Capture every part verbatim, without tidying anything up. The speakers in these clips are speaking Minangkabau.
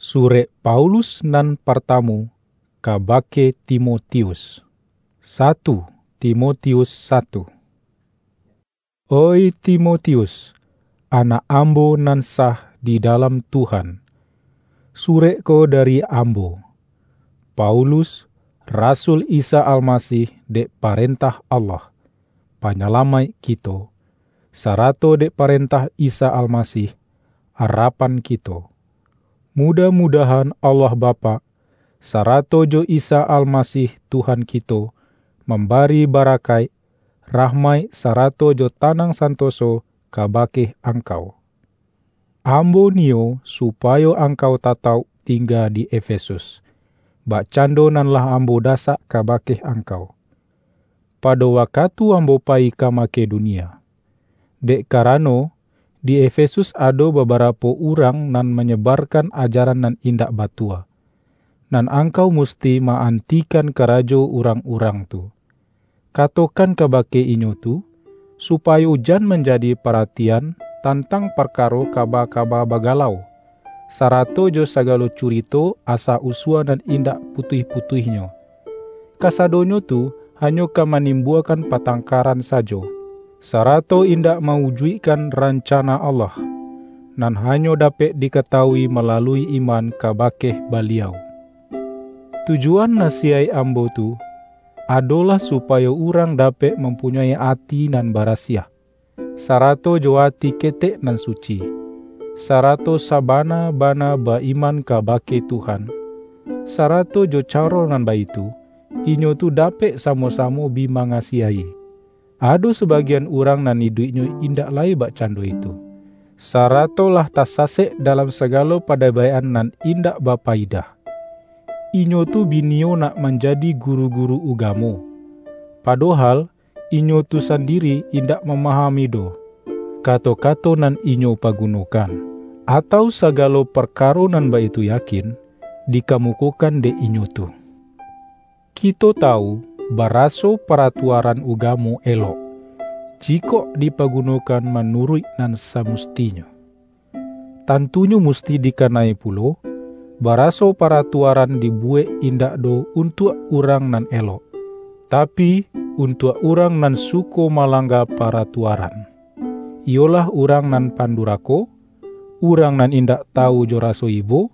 Surek Paulus nan partamu kabake Timotius. Satu Timotius satu. Oi Timotius, anak ambo nan sah di dalam Tuhan, surek ko dari ambo, Paulus, rasul Isa Almasih dek parentah Allah, Panyalamaik kito, sarato dek parentah Isa Almasih, arapan kito. Mudah-mudahan Allah Bapak, sarato jo Isa Almasih Tuhan kito, mambari barakaik, rahmaik, sarato jo tanang santoso kabake angkau. Ambo niyo supayo angkau tatauk tingga di Efesus, bakcando nan lah ambo dasak kabake angkau, pado wakatu ambo payi ka Makedonia. Dek karano, di Efesus ado babarapo urang nan manyebarkan ajaran nan indak batua, nan angkau musti ma-antikan karajo urang-urang tu. Katokan kabake inyo tu, supayo jan manjadi paratian tantang parkaro kaba-kaba bagalau, sarato jo sagalo curito asa usua nan indak putuih-putuihnyo. Kasadonyo tu hanyo ka manimbuakan patangkaran sajo, sarato indak mawujuikkan rancana Allah, nan hanyo dapek dikatawui malalui iman kabake Baliau. Tujuan nasiyaik ambo tu, adolah supayo urang dapek mampunyoi ati nan barasiah, sarato jo ati ketek nan suci, sarato sabana-bana ba-iman kabake Tuhan, sarato jo caro nan baitu, inyo tu dapek samo-samo bi mangasiahi. Ado sabagian urang nan iduiknyo indak lai bakcando itu, sarato lah tasasek dalam sagalo padabaik-an nan indak bapayidah. Inyo tu bi niyo nak manjadi guru-guru ugamo, padohal inyo tu sandiri indak mamahami doh kato-kato nan inyo pagunokan, atau sagalo parkaro nan baitu yakin dikamukokan dek inyo tu. Kito tawu, baraso paratuaran ugamo elok, jikok dipagunokan manuruik nan samustinyo. Tantunyo musti dikanai pulo, baraso paratuaran dibuwek indak doh untuak urang nan elok, tapi, untuak urang nan suko malangga paratuaran, iyolah urang nan pandurako, urang nan indak tawu jo raso ibo,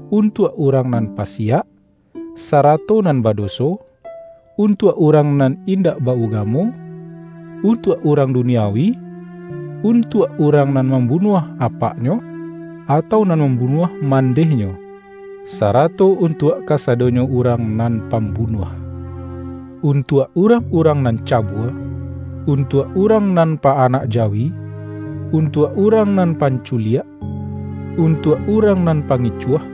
untuak urang nan pasiak, sarato nan badoso, untuak urang nan indak ba-ugamo, untuak urang duniawi, untuak urang nan mambunuah apaknyo, atau nan mambunuah mandehnyo, sarato untuak kasadonyo urang nan pambunuah, untuak urang-urang nan cabua, untuak urang nan pa-anak jawi, untuak urang nan panculiak, untuak urang nan pangicuah,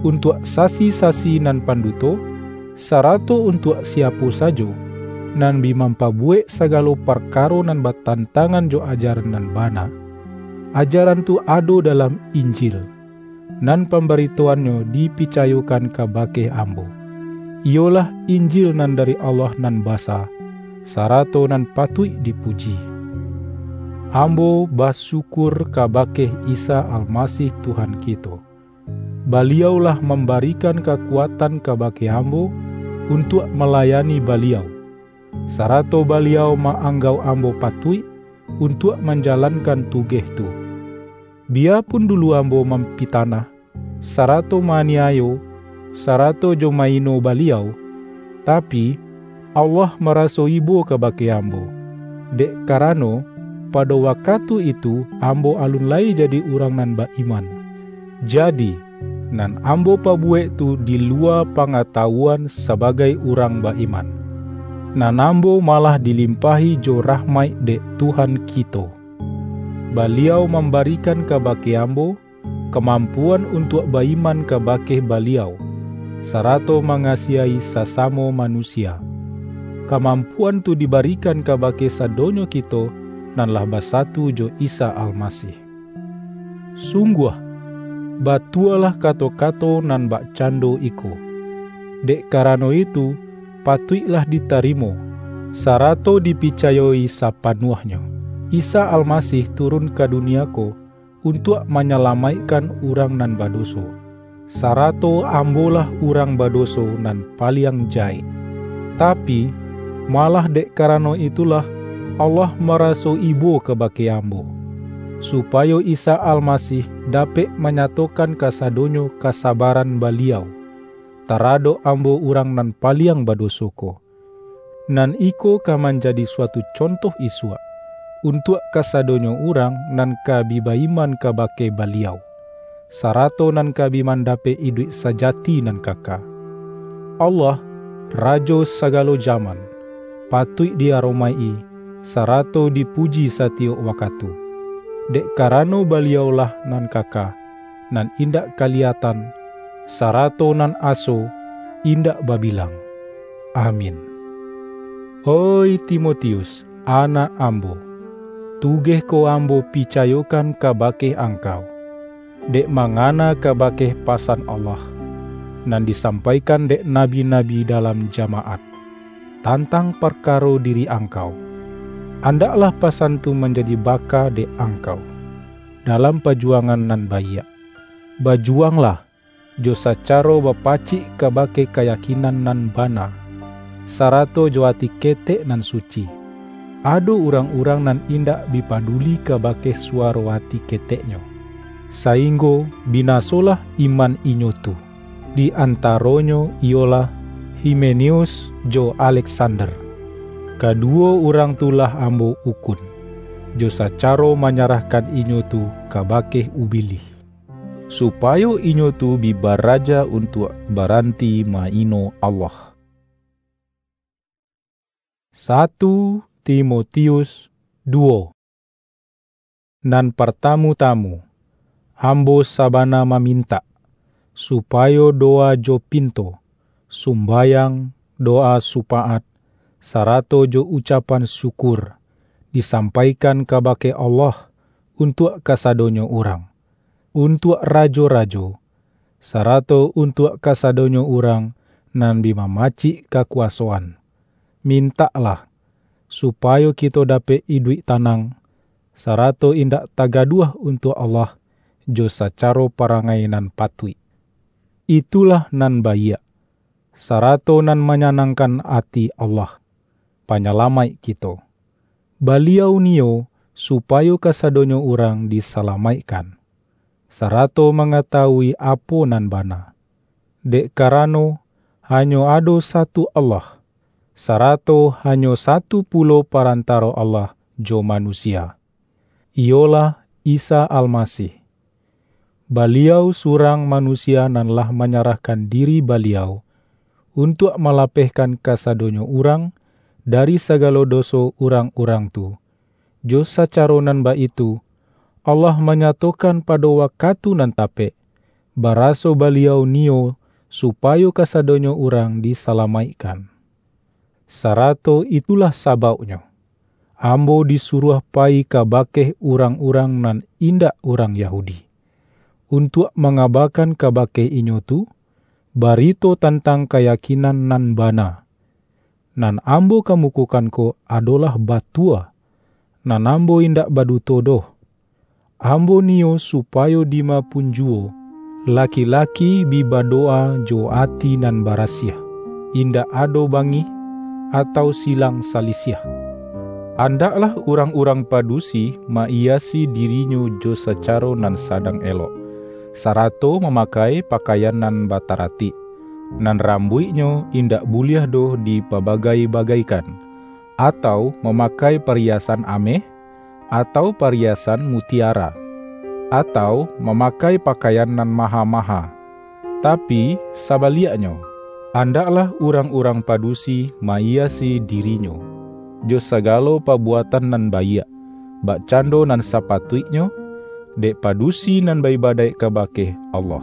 untuak sasi-sasi nan panduto, sarato untuak siapo sajo nan bi mampabuwek sagalo parkaro nan batantangan jo ajaran nan bana. Ajaran tu ado dalam Injil, nan pambaritoannyo dipicayokan kabake ambo, iyolah Injil nan dari Allah nan basa, sarato nan patuik dipuji. Ambo basyukur kabake Isa Almasih Tuhan kito. Baliau lah mambarikan kakuatan kabake ambo untuak malayani Baliau, sarato Baliau ma-anggauk ambo patuik untuak manjalankan tugeh tu. Biyapun dulu ambo mampitanah, sarato ma-aniayo, sarato jo ma-ino Baliau, tapi, Allah maraso ibo kabake ambo, dek karano, pado wakatu itu ambo alun lai jadi urang nan ba-iman. Jadi, nan ambo pabuwek tu di luwa pangatawuan sabagai urang ba-iman, nan ambo malah dilimpahi jo rahmaik dek Tuhan kito. Baliau mambarikan kabake ambo kamampuan untuak ba-iman kabake Baliau, sarato mangasiahi sasamo manusia. Kamampuan tu dibarikan kabake sadonyo kito nan lah basatu jo Isa Almasih. Sungguah, batualah kato-kato nan bakcando iko. Dek karano itu, patuiklah ditarimo, sarato dipicayo-i sapanuahnyo, Isa Almasih turun ka dunia ko untuak manyalamaikkan urang nan badoso. sarato ambolah urang badoso nan paliang jahek. Tapi, malah dek karano itulah, Allah maraso ibo kabake ambo, supayo Isa Almasih dapek manyatokan kasadonyo kasabaran Baliau taradok ambo urang nan paliang badoso ko. Nan iko ka manjadi suatu contoh isuak, untuak kasadonyo urang nan ka bi ba-iman kabake Baliau, sarato nan ka bi mandapek iduik sajati nan kaka. Allah, Rajo sagalo jaman, patuik di-aromaik-i, sarato dipuji satiyok wakatu. Dek karano Baliau-lah nan kaka, nan indak kaliyatan, sarato nan aso, indak babilang. Amin. Oih Timotius, anak ambo, tugeh ko ambo picayokan kabake angkau, dek mangana kabake pasan Allah, nan disampaikan dek nabi-nabi dalam jamaat, tantang parkaro diri angkau. Andaklah pasan tu manjadi baka dek angkau, dalam pajuwangan nan baiak. Bajuwanglah, jo sacaro bapacik kabake kayakinan nan bana, sarato jo ati ketek nan suci. Ado urang-urang nan indak bi paduli kabake suwaro ati keteknyo, sainggo binasolah iman inyo tu. Di antaronyo iyolah Himeneus jo Aleksander. Kaduwo urang tu lah ambo ukun, jo sacaro manyarahkan inyo tu kabake Ubilih, supayo inyo tu bi baraja untuak baranti ma-ino Allah. Satu Timotius duwo. Nan partamu-tamu, ambo sabana mamintak, supayo dowa jo pinto, sumbayang, dowa supaat, sarato jo ucapan syukur, disampaikan kabake Allah untuak kasadonyo urang, untuak rajo-rajo, sarato untuak kasadonyo urang nan bi mamacik kakuwasoan. Mintaklah, supayo kito dapek iduik tanang, sarato indak tagaduah untuak Allah jo sacaro parangai nan patuik. Itulah nan baiak, sarato nan manyanangkan ati Allah, Panyalamaik kito. Baliau niyo supayo kasadonyo urang disalamaikkan, sarato mangatawui apo nan bana. Dek karano, hanyo ado satu Allah, sarato hanyo satu pulo parantaro Allah jo manusia, iyolah Isa Almasih. Baliau surang manusia nan lah manyarahkan diri Baliau untuak malapehkan kasadonyo urang dari sagalo doso urang-urang tu. Jo sacaro nan baitu, Allah manyatokan pado wakatu nan tapek, baraso Baliau niyo supayo kasadonyo urang disalamaikkan. Sarato itulah sabauknyo, ambo disuruah payi kabake urang-urang nan indak urang Yahudi, untuak mangabakan kabake inyo tu, barito tantang kayakinan nan bana. Nan ambo kamukokan ko adolah batua, nan ambo indak baduto doh. Ambo niyo supayo dima pun juwo, laki-laki bi badowa jo ati nan barasiah, indak ado bangih, atau silang salisiah. Andaklah urang-urang padusi ma-iyasi dirinyo jo sacaro nan sadang elok, sarato mamakai pakaian nan bataratik, nan rambuiknyo indak buliah doh dipabagai-bagaikan, atau mamakai pariyasan ameh, atau pariyasan mutiara, atau mamakai pakaian nan maha-maha. Tapi, sabaliaknyo, andaklah urang-urang padusi ma-iyasi dirinyo jo sagalo pabuatan nan baiak, bakcando nan sapatuiknyo, dek padusi nan ba-ibadaik kabake Allah.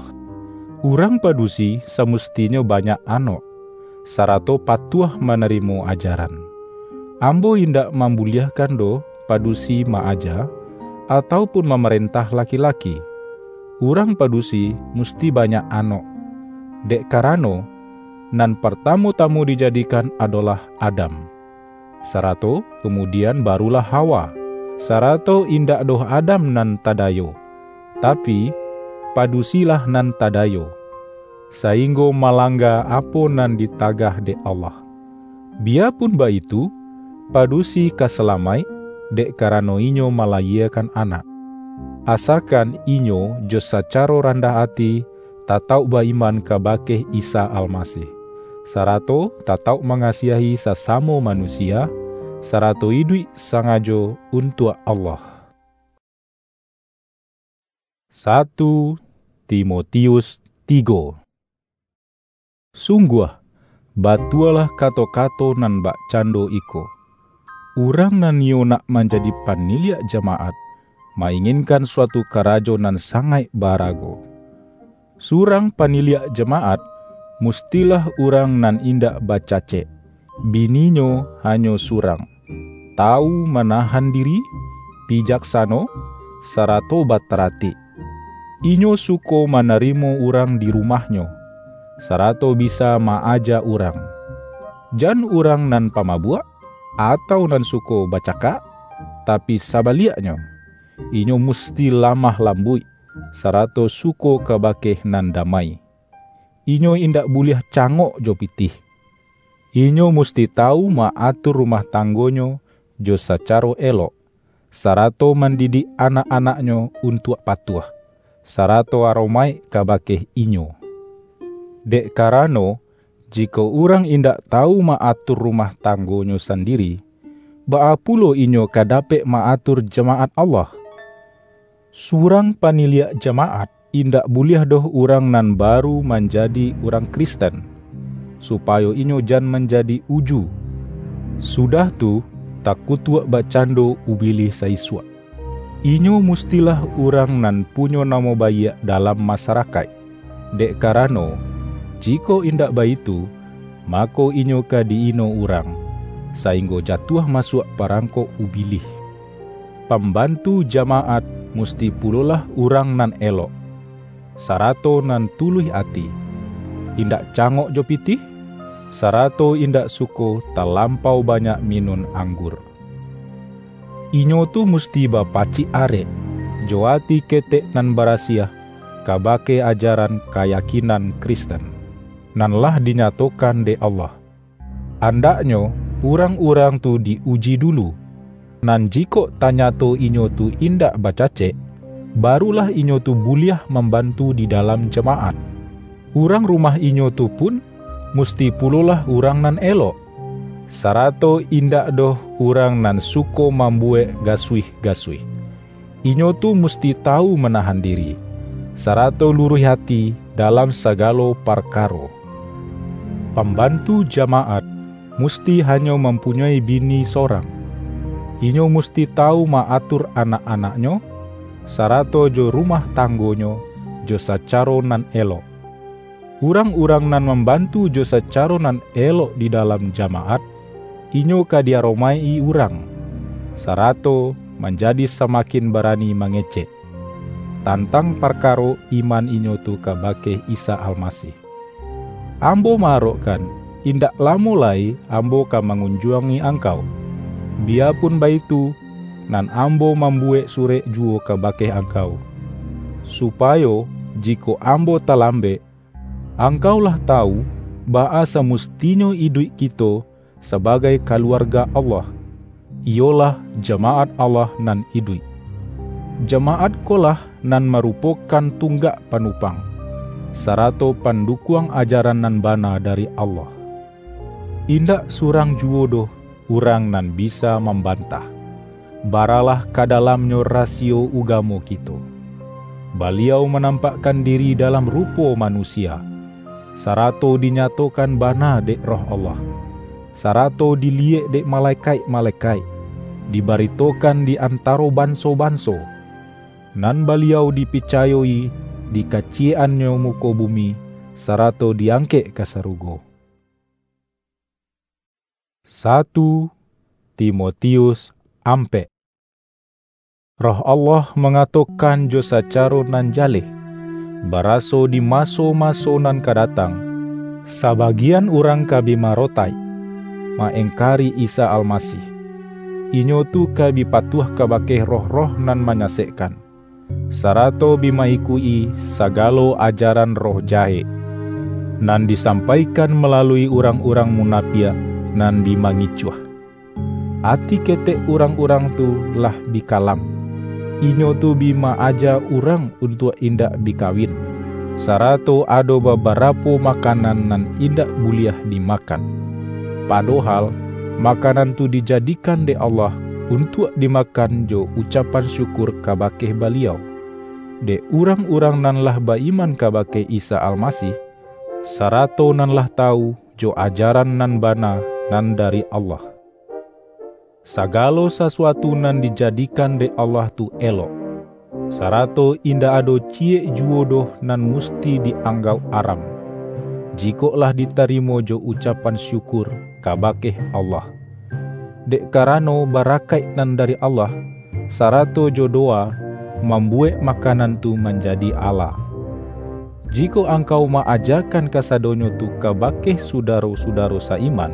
Urang padusi samustinyo banyak anok, sarato patuah manarimo ajaran. Ambo indak mambuliahkan doh padusi ma-aja, atau pun mamarentah laki-laki. Urang padusi musti banyak anok, dek karano, nan partamu-tamu dijadikan adolah Adam, sarato kamudian barulah Hawa, sarato indak doh Adam nan tadayo, tapi, padusilah nan tadayo. sainggo malangga apo nan ditagah dek Allah. Biyapun baitu, padusi ka salamaik, dek karano inyo malayiekan anak. Asakan inyo jo sacaro randah ati tatauk ba-iman kabake Isa Almasih, sarato tatauk mangasiahi sasamo manusia, sarato iduik sangajo untuak Allah. Satu Timotius tigo. Sungguah, batualah kato-kato nan bakcando iko, "Urang nan niyo nak manjadi paniliak jamaat, mainginkan suatu karajo nan sangaik barago." Surang paniliak jamaat, mustilah urang nan indak bacacek, bininyo hanyo surang, tawu manahan diri, bijaksano, sarato bataratik. Inyo suko manarimo urang di rumahnyo, sarato bisa ma-aja urang. Jan urang nan pamabuak, atau nan suko bacakak, tapi sabaliaknyo, inyo musti lamah lambuik, sarato suko kabake nan damai. Inyo indak buliah cangok jo pitih. Inyo musti tawu ma-atur rumah tanggonyo jo sacaro elok, sarato mandidik anak-anaknyo untuak patuah, sarato aromaik kabake inyo. Dek karano, jikok urang indak tawu ma-atur rumah tanggonyo sandiri, baa pulo inyo ka dapek ma-atur jamaat Allah? Surang paniliak jamaat indak buliah doh urang nan baru manjadi urang Kristen, supayo inyo jan manjadi uju. Sudah tu, takutuak bakcando Ubilih saisuak. Inyo mustilah urang nan punyo namo baiak dalam masarakaik, dek karano, jikok indak baitu, mako inyo ka di-ino urang, sainggo jatuah masuak parangkok Ubilih. Pambantu jamaat musti pulolah urang nan elok, sarato nan tuluih ati, indak cangok jo pitih, sarato indak suko talampau banyak minun anggur. Inyo tu musti bapacik arek, jo ati ketek nan barasiah, kabake ajaran kayakinan Kristen, nan lah dinyatokan dek Allah. Andaknyo urang-urang tu di-uji dulu, nan jikok tanyato inyo tu indak bacacek, barulah inyo tu buliah mambantu di dalam jamaat. Urang rumah inyo tu pun musti pulolah urang nan elok, sarato indak doh urang nan suko mambuwek gasuih-gasuih. Inyo tu musti tawu manahan diri, sarato luruih ati dalam sagalo parkaro. Pambantu jamaat musti hanyo mampunyoi bini sorang. Inyo musti tawu ma-atur anak-anaknyo, sarato jo rumah tanggonyo, jo sacaro nan elok. Urang-urang nan mambantu jo sacaro nan elok di dalam jamaat, inyo ka di-aromaik-i urang, sarato manjadi samakin barani mangecek, tantang parkaro iman inyo tu kabake Isa Almasih. Ambo ma-arokkan, indak lamo lai ambo ka mangunjuangi angkau. Biyapun baitu, nan ambo mambuwek surek juwo kabake angkau, supayo, jikok ambo talambek, angkau lah tawu, baa samustinyo iduik kito sabagai kaluarga Allah, iyolah jamaat Allah nan iduik. Jamaat ko lah nan marupokan tunggak panupang, sarato pandukuang ajaran nan bana dari Allah. Indak surang juwo doh urang nan bisa mambantah. Baralah ka dalamnyo rasiyo ugamo kito. Baliau manampakkan diri dalam rupo manusia, sarato dinyatokan bana dek Roh Allah, sarato diliyek dek malekaik-malekaik, dibaritokan di antaro banso-banso, nan Baliau dipicayo-i di kaciyek-annyo muko bumi, sarato diangkek ka sarugo. Satu Timotius ampek. Roh Allah mangatokan jo sacaro nan jaleh, baraso di maso-maso nan ka datang, sabagian urang ka bi marotaik, ma-engkari Isa Almasih. Inyo tu ka bi patuah kabake roh-roh nan manyasekkan, sarato bi ma-ikuik-i sagalo ajaran roh jahek. nan disampaikan malalui urang-urang munapiak nan bi mangicuah. Ati ketek urang-urang tu lah bi kalam. Inyo tu bi ma-aja urang untuak indak bi kawin, sarato ado babarapo makanan nan indak buliah dimakan. Padohal, makanan tu dijadikan dek Allah untuak dimakan jo ucapan syukur kabake Baliau, dek urang-urang nan lah ba-iman kabake Isa Almasih, sarato nan lah tawu jo ajaran nan bana nan dari Allah. Sagalo sasuatu nan dijadikan dek Allah tu elok, sarato indak ado ciyek juwo doh nan musti di-anggauk aram, jikok lah ditarimo jo ucapan syukur kabake Allah. Dek karano barakaik nan dari Allah, sarato jo dowa, mambuwek makanan tu manjadi ala. Jikok angkau ma-ajakan kasadonyo tu kabake sudaro-sudaro sa-iman,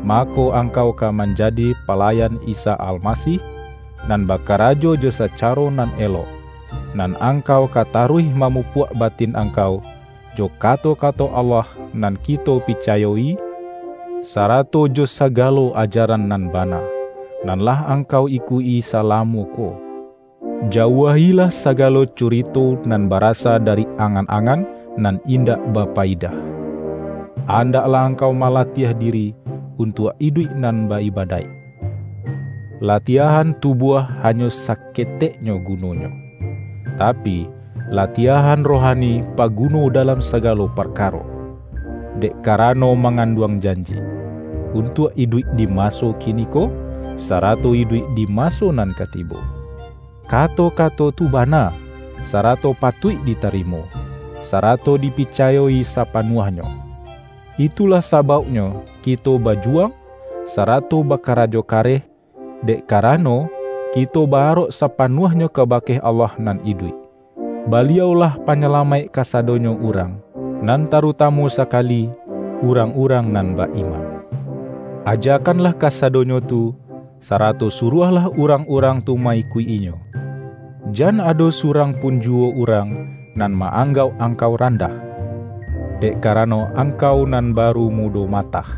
mako, angkau ka manjadi palayan Isa Almasih, nan bakarajo jo sacaro nan elok, nan angkau ka taruih mamupuak batin angkau jo kato-kato Allah nan kito picayo-i, sarato jo sagalo ajaran nan bana, nan lah angkau ikuik-i salamo ko. Jauahilah sagalo curito nan barasa dari angan-angan nan indak bapayidah. Andaklah angkau malatiah diri untuak iduik nan ba-ibadaik. Latiahan tubuah hanyo saketeknyo gunonyo, tapi, latiahan rohani paguno dalam sagalo parkaro, dek karano manganduang janji, untuak iduik di maso kiniko, sarato iduik di maso nan ka tibo. Kato-kato tu bana, sarato patuik ditarimo, sarato dipicayo-i sapanuahnyo. Itulah sabauknyo kito bajuwang, sarato bakarajo kareh, dek karano, kito ba-arok sapanuahnyo kabake Allah nan iduik. Baliau-lah Panyalamaik kasadonyo urang, nan tarutamu sakali, urang-urang nan ba-iman. Ajakanlah kasadonyo tu, sarato suruahlah urang-urang tu ma-ikuik-inyo. Jan ado surang pun juwo urang nan ma-anggauk angkau randah, dek karano angkau nan baru mudo matah.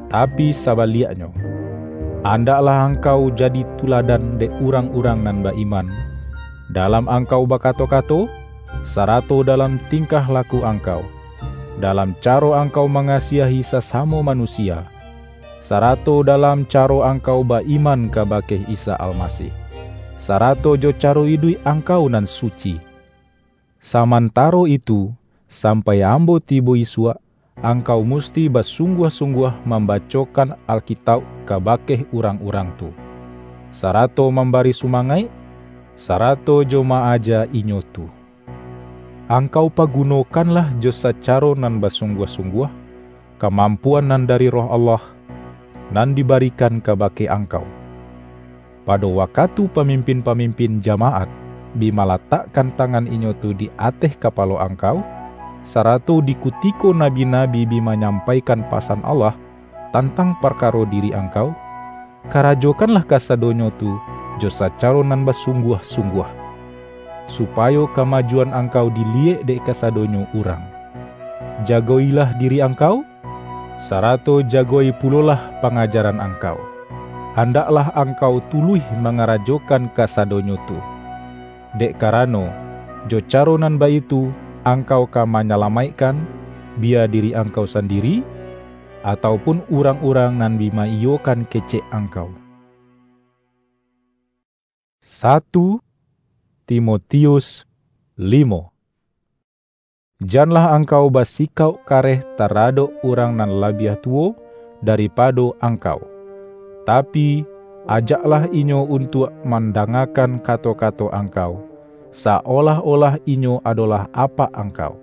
Tapi sabaliaknyo, andaklah angkau jadi tuladan dek urang-urang nan ba-iman, dalam angkau bakato-kato, sarato dalam tingkah laku angkau, dalam caro angkau mangasiahi sasamo manusia, sarato dalam caro angkau ba-iman kabake Isa Almasih, sarato jo caro iduik angkau nan suci. Samantaro itu, sampai ambo tibo isuak, angkau musti basungguah-sungguah mambacokan Alkitauk kabake urang-urang tu, sarato mambari sumangaik, sarato jo ma-aja inyo tu. Angkau pagunokanlah jo sacaro nan basungguah-sungguah, kamampuan nan dari Roh Allah, nan dibarikan kabake angkau. Pado wakatu pamimpin-pamimpin jamaat bi malatakkan tangan inyo tu di ateh kapalo angkau, sarato di kutiko nabi-nabi bi manyampaikan pasan Allah tantang parkaro diri angkau, karajokanlah kasadonyo tu jo sacaro nan basungguah-sungguah, supayo kamajuan angkau diliyek dek kasadonyo urang. Jago-ilah diri angkau, sarato jago-i pulolah pangajaran angkau. Andaklah angkau tuluih mangarajokan kasadonyo tu, dek karano, jo caro nan baitu angkau ka manyalamaikkan, biya diri angkau sandiri, atau pun urang-urang nan bi ma-iyokan kecek angkau. Satu Timotius limo. Janlah angkau basikauk kareh taradok urang nan labiah tuwo daripado angkau, tapi, ajaklah inyo untuak mandangakan kato-kato angkau, saolah-olah inyo adolah apak angkau.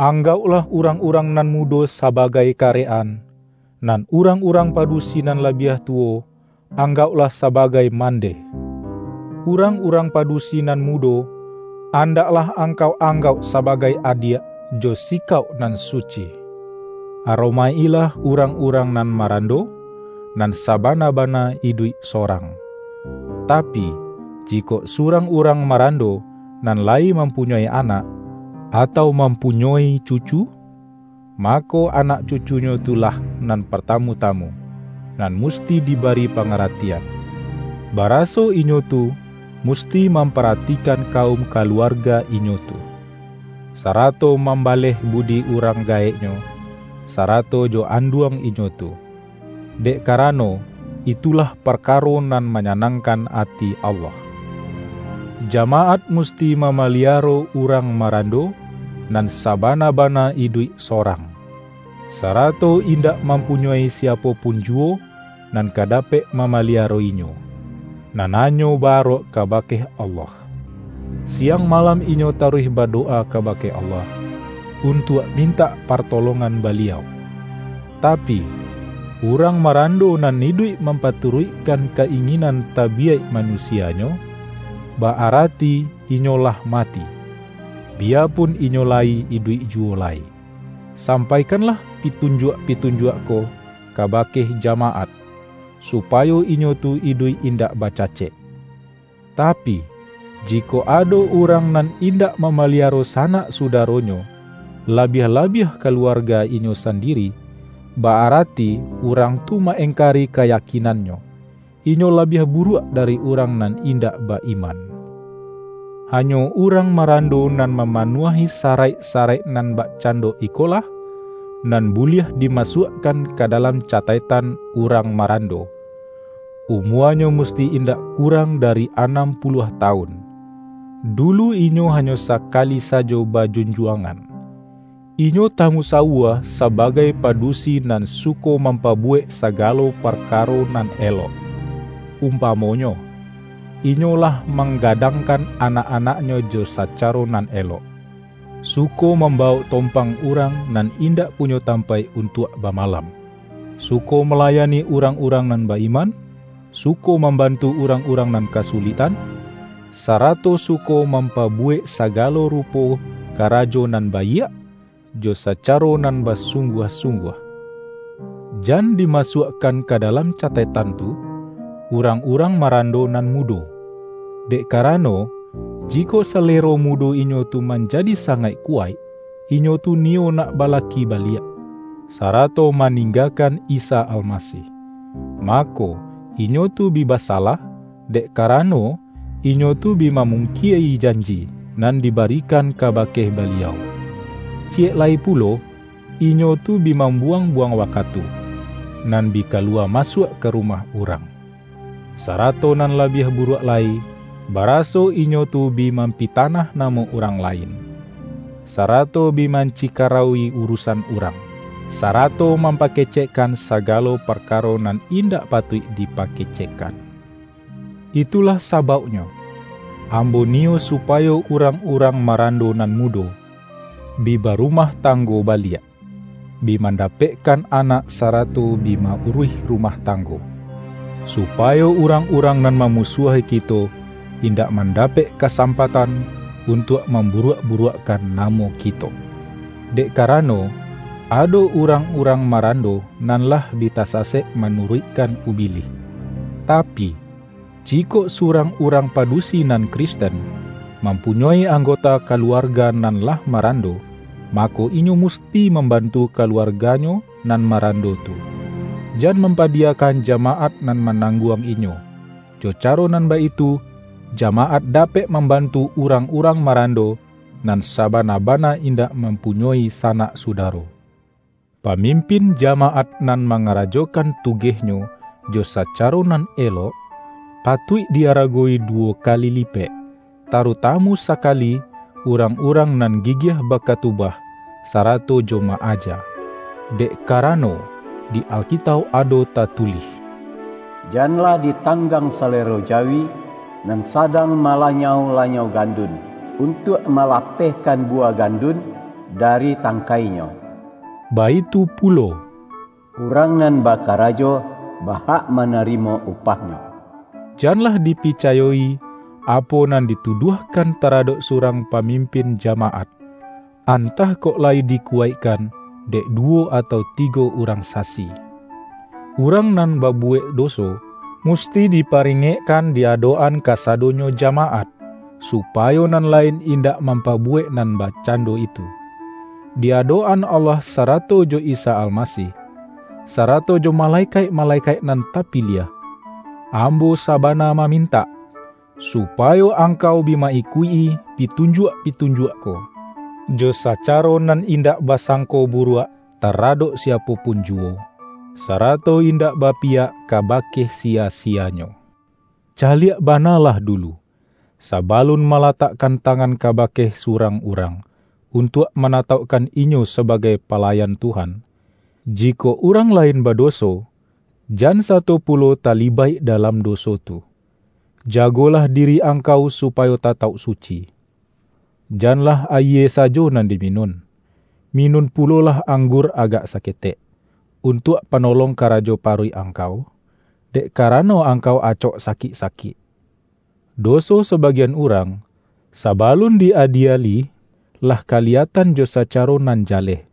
Anggauklah urang-urang nan mudo sabagai karek-an, nan urang-urang padusi nan labiah tuwo anggauklah sabagai mandeh. Urang-urang padusi nan mudo, andaklah angkau anggauk sabagai adiak jo sikauk nan suci. Aromaik-ilah urang-urang nan marando, nan sabana-bana iduik sorang. Tapi, jikok surang urang marando, nan layi mampunyoi anak, atau mampunyoi cucu, mako anak cucunyo tu lah nan partamu-tamu, nan musti dibari pangaratian. Baraso inyo tu musti mamparatikan kaum kaluarga inyo tu, sarato mambaleh budi urang gaeknyo, sarato jo anduang inyo tu. Dek karano, itulah parkaro nan manyanangkan ati Allah. Jamaat musti mamaliaro urang marando, nan sabana-bana iduik sorang, sarato indak mampunyoi siapo pun juwo nan ka dapek mamaliaro inyo, nan hanyo ba-arok kabake Allah. Siang malam inyo taruih badowa kabake Allah, untuak mintak partolongan Baliau. Tapi, urang marando nan iduik mampaturuikkan ka-inginan tabiyaik manusianyo, ba-arati inyo lah mati, biyapun inyo layi iduik juwo lai. Sampaikanlah pitunjuak-pitunjuak ko kabake jamaat, supayo inyo tu iduik indak bacacek. Tapi, jikok ado urang nan indak mamaliaro sanak sudaronyo, labiah-labiah kaluarga inyo sandiri, ba-arati urang tu ma-engkari kayakinannyo, inyo labiah buruak dari urang nan indak ba-iman. Hanyo urang marando nan mamanuahi saraik-saraik nan bakcando ikolah, nan buliah dimasuakkan ka dalam cataiktan urang marando. Umuanyo musti indak kurang dari anam puluah tawun. Dulu inyo hanyo sakali sajo bajunjuangan. Inyo tamusawua sabagai padusi nan suko mampabuwek sagalo parkaro nan elok. Umpamonyo, inyo lah manggadangkan anak-anaknyo jo sacaro nan elok, suko mambawok tompang urang nan indak punyo tampaik untuak bamalam, suko malayani urang-urang nan ba-iman, suko mambantu urang-urang nan kasuliktan, sarato suko mampabuwek sagalo rupo karajo nan baiak, jo sacaro nan basungguah-sungguah. Jan dimasuakkan ka dalam cataitan tu, urang-urang marando nan mudo. Dek karano, jikok salero mudo inyo tu manjadi sangaik kuwaik, inyo tu niyo nak balaki baliak, sarato maninggakan Isa Almasih. Mako, inyo tu bi basalah, dek karano, inyo tu bi mamungkiai janji nan dibarikan kabake Baliau. Ciyek lai pulo, inyo tu bi mambuwang-buwang wakatu, nan bi kaluwa masuak ka rumah urang. Sarato nan labiah buruak lai, baraso inyo tu bi mampitanah namo urang lain, sarato bi mancikarawui urusan urang, sarato mampakecekkan sagalo parkaro nan indak patuik dipakecekkan. Itulah sabauknyo, ambo niyo supayo urang-urang marando nan mudo, bi barumah tanggo baliak, bi mandapekkan anak sarato bi ma-uruih rumah tanggo, supayo urang-urang nan mamusuahi kito indak mandapek kasampatan untuak mamburuak-buruakkan namo kito. Dek karano, ado urang-urang marando nan lah bi tasasek manuruikkan Ubilih. Tapi, jikok surang urang padusi nan Kristen mampunyoi anggota kaluarga nan lah marando, mako, inyo musti mambantu kaluarganyo nan marando tu. Jan mampadiyakan jamaat nan manangguang inyo. Jo caro nan baitu, jamaat dapek mambantu urang-urang marando nan sabana-bana indak mampunyoi sanak sudaro. Pamimpin jamaat nan mangarajokan tugehnyo jo sacaro nan elok, patuik di-aragowi duwo kali lipek, tarutamu sakali urang-urang nan gigiah bakatubah, sarato jo ma-aja. Dek karano, di Alkitauk ado tatulih, "Janlah ditanggang salero jawi nan sadang malanyau-lanyau gandun, untuak malapehkan buwah gandun dari tangkainyo." Baitu pulo, "Urang nan bakarajo bahak manarimo upahnyo." Janlah dipicayo-i apo nan dituduahkan taradok surang pamimpin jamaat, antah kok lai dikuwaikkan dek duwo atau tigo urang sasi. Urang nan babuwek doso musti diparingekkan di adok-an kasadonyo jamaat, supayo nan lain indak mampabuwek nan bakcando itu. di adok-an Allah sarato jo Isa Almasih, sarato jo malekaik-malekaik nan tapiliah, ambo sabana mamintak, supayo angkau bi ma-ikuik-i pitunjuak-pitunjuak ko, jo sacaro nan indak basangko buruak taradok siapo pun juwo, sarato indak bapiyak kabake sia-sianyo. Caliak banalah dulu, sabalun malatakkan tangan kabake surang urang, untuak manataukkan inyo sabagai palayan Tuhan. Jikok urang lain badoso, jan sato pulo talibaik dalam doso tu. Jagolah diri angkau supayo tatauk suci. Janlah ayie sajo nan diminun. Minun pulolah anggur agak saketek, untuak panolong karajo paruik angkau, dek karano angkau acok sakik-sakik. Doso sabagian urang, sabalun di-adieli, lah kaliyatan jo sacaro nan jaleh.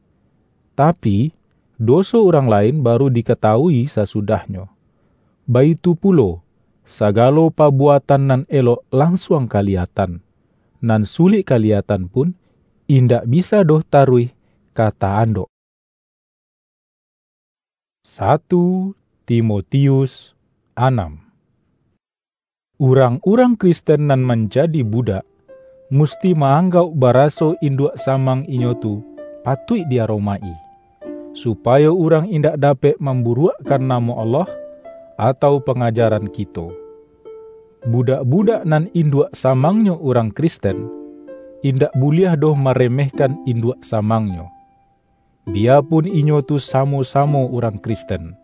Tapi, doso urang lain baru dikatawui sasudahnyo. Baitu pulo, sagalo pabuatan nan elok lansuang kaliyatan, nan sulik kaliyatan pun, indak bisa doh taruih ka ta-andok. Satu Timotius anam. Urang-urang Kristen nan manjadi budak, musti ma-anggauk baraso induak samang inyo tu patuik di-aromaik-i, supayo urang indak dapek mamburuakkan namo Allah, atau pangajaran kito. Budak-budak nan induak samangnyo urang Kristen, indak buliah doh maremehkan induak samangnyo, biyapun inyo tu samo-samo urang Kristen.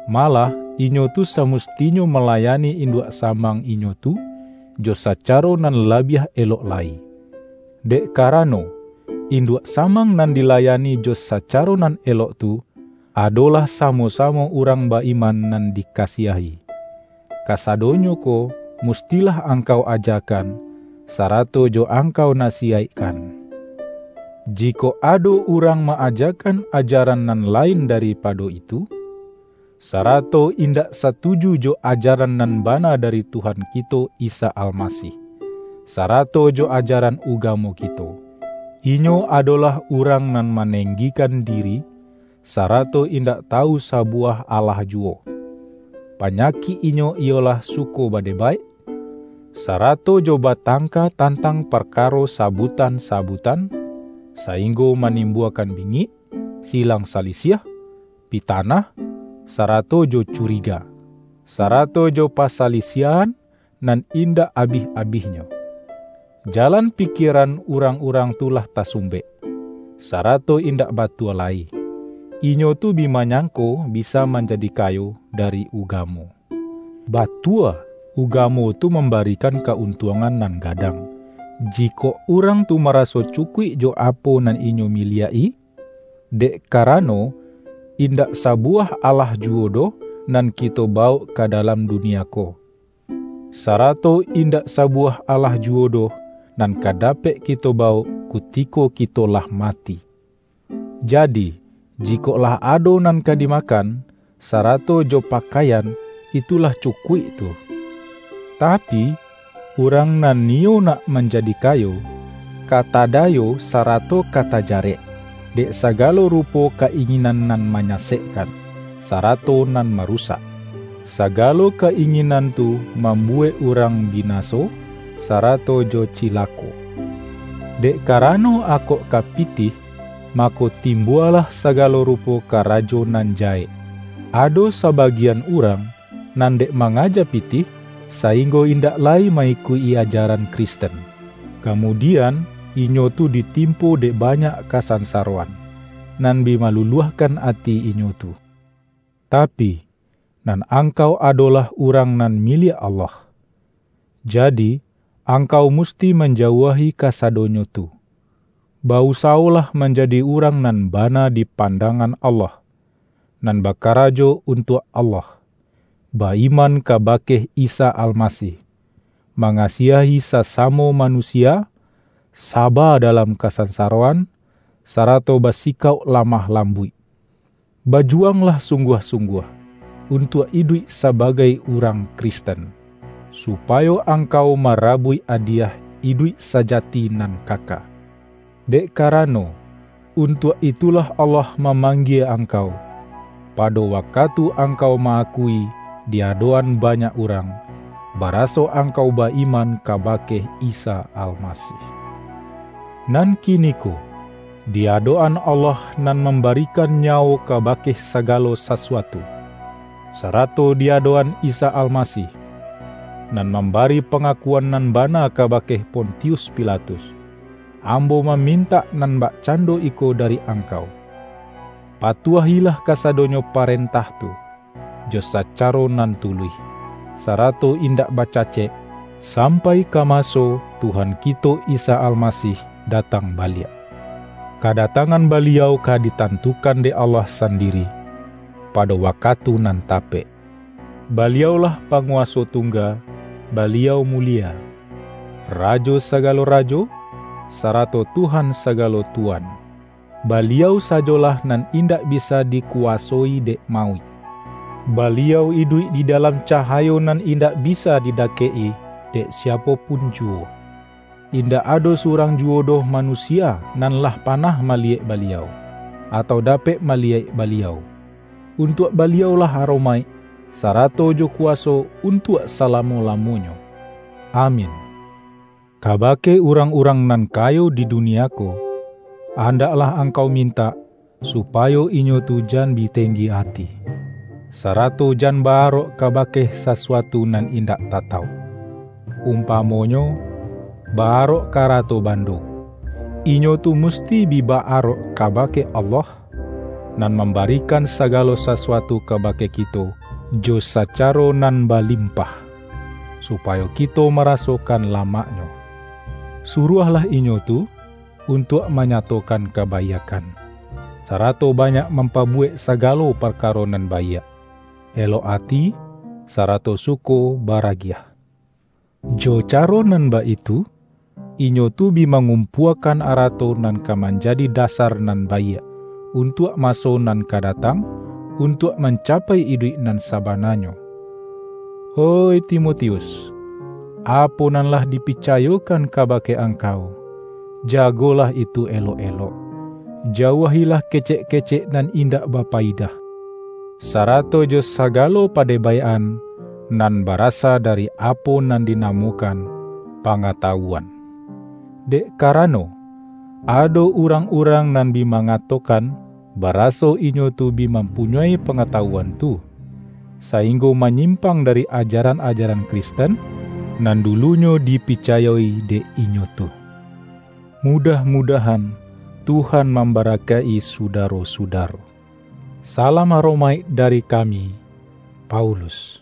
Malah, inyo tu samustinyo malayani induak samang inyo tu jo sacaro nan labiah elok lai. Dek karano, induak samang nan dilayani jo sacaro nan elok tu, adolah samo-samo urang ba-iman nan dikasiahi. Kasadonyo ko mustilah angkau ajakan, sarato jo angkau nasiyaikkan. Jikok ado urang ma-ajakan ajaran nan lain daripado itu, sarato indak satuju jo ajaran nan bana dari Tuhan kito Isa Almasih, sarato jo ajaran ugamo kito, inyo adolah urang nan manenggikan diri, sarato indak tawu sabuwah alah juwo. Panyakik inyo iyolah suko badebaik, sarato jo batangka tantang parkaro sabutan-sabutan, sainggo manimbuakan bingik, silang salisiah, pitanah, sarato jo curiga, sarato jo pasalisiahan, nan indak abih-abihnyo. Jalan pikieran urang-urang tu lah tasumbek, sarato indak batua lai. Inyo tu bi manyangko bisa manjadi kayo dari ugamo. Batua, ugamo tu mambarikan kauntuangan nan gadang, jikok urang tu maraso cukuik jo apo nan inyo miliak-i, dek karano, indak sabuwah alah juwo doh nan kito bawok ka dalam dunia ko. Sarato indak sabuwah alah juwo doh nan ka dapek kito bawok kutiko kito lah mati. Jadi, jikok lah ado nan ka dimakan, sarato jo pakaian, itu lah cukuik tu. Tapi, urang nan niyo nak manjadi kayo, ka tadayo sarato ka tajarek, dek sagalo rupo ka-inginan nan manyasekkan, sarato nan marusak. Sagalo ka-inginan tu mambuwek urang binaso, sarato jo cilako. Dek karano akok ka pitih, mako timbualah sagalo rupo karajo nan jahek. Ado sabagian urang, nan dek mangaja pitih, sainggo indak lai ma-ikuik-i ajaran Kristen. Kamudian, inyo tu ditimpo dek banyak kasansaroan, nan bi maluluahkan ati inyo tu. Tapi, nan angkau adolah urang nan miliak Allah. Jadi, angkau musti manjauahi kasadonyo tu. Bausawolah manjadi urang nan bana di pandangan Allah, nan bakarajo untuak Allah, ba-iman kabake Isa Almasih, mangasiahi sasamo manusia, saba dalam kasansaroan, sarato basikauk lamah lambuik. Bajuwanglah sungguah-sungguah untuak iduik sabagai urang Kristen, supayo angkau marabuik adiyah iduik sajati nan kaka. Dek karano, Untuak itulah Allah mamanggie angkau, pado wakatu angkau ma-akui di adok-an banyak urang, baraso angkau ba-iman kabake Isa Almasih. Nan kiniko, di adok-an Allah nan mambarikan nyawo kabake sagalo sasuatu, sarato di adok-an Isa Almasih, nan mambari pangakuan nan bana kabake Pontius Pilatus, ambo mamintak nan bakcando iko dari angkau: Patuahilah kasadonyo parentah tu, jo sacaro nan tuluih, sarato indak bacacek, sampai ka maso Tuhan kito Isa Almasih datang baliak. Kadatangan Baliau ka ditantukan dek Allah sandiri, pado wakatu nan tapek. Baliaulah Panguwaso Tungga, Baliau mulie, Rajo sagalo rajo, sarato Tuhan sagalo tuan. Baliau sajolah nan indak bisa dikuwasoi dek mauik. Baliau iduik di dalam cahayo nan indak bisa didakek-i dek siapo pun juwo. Indak ado surang juwo doh manusia nan lah panah maliyek Baliau, atau dapek maliyek Baliau. Untuak Baliaulah aromaik, sarato jo kuwaso untuak salamo-lamonyo. Amin. Kabake urang-urang nan kayo di dunia ko, andaklah angkau mintak, supayo inyo tu jan bi tenggi ati, sarato jan ba-arok kabake sasuatu nan indak tatauk. Umpamonyo, ba-arok karato bando, inyo tu musti bi ba-arok kabake Allah, nan mambarikan sagalo sasuatu kabake kito jo sacaro nan balimpah, supayo kito marasokan lamaknyo. Suruahlah inyo tu untuak manyatokan kabaiakkan, sarato banyak mampabuwek sagalo parkaro nan baiak, elok ati, sarato suko baragiah. Jo caro nan baitu, inyo tu bi mangumpuakan arato nan ka manjadi dasar nan baiak, untuak maso nan ka datang, untuak mancapai iduik nan sabananyo. Oih Timotius, apo nan lah dipicayokan kabake angkau, jagolah itu elok-elok. Jauahilah kecek-kecek nan indak bapayidah, sarato jo sagalo padebaik-an nan barasa dari apo nan dinamokan pangatawuan. Dek karano, ado urang-urang nan bi mangatokan, baraso inyo tu bi mampunyoi pangatawuan tu, sainggo manyimpang dari ajaran-ajaran Kristen nan dulunyo dipicayo-i dek inyo tu. Mudah-mudahan Tuhan mambarakaik-i sudaro-sudaro. Salam aromaik dari kami, Paulus.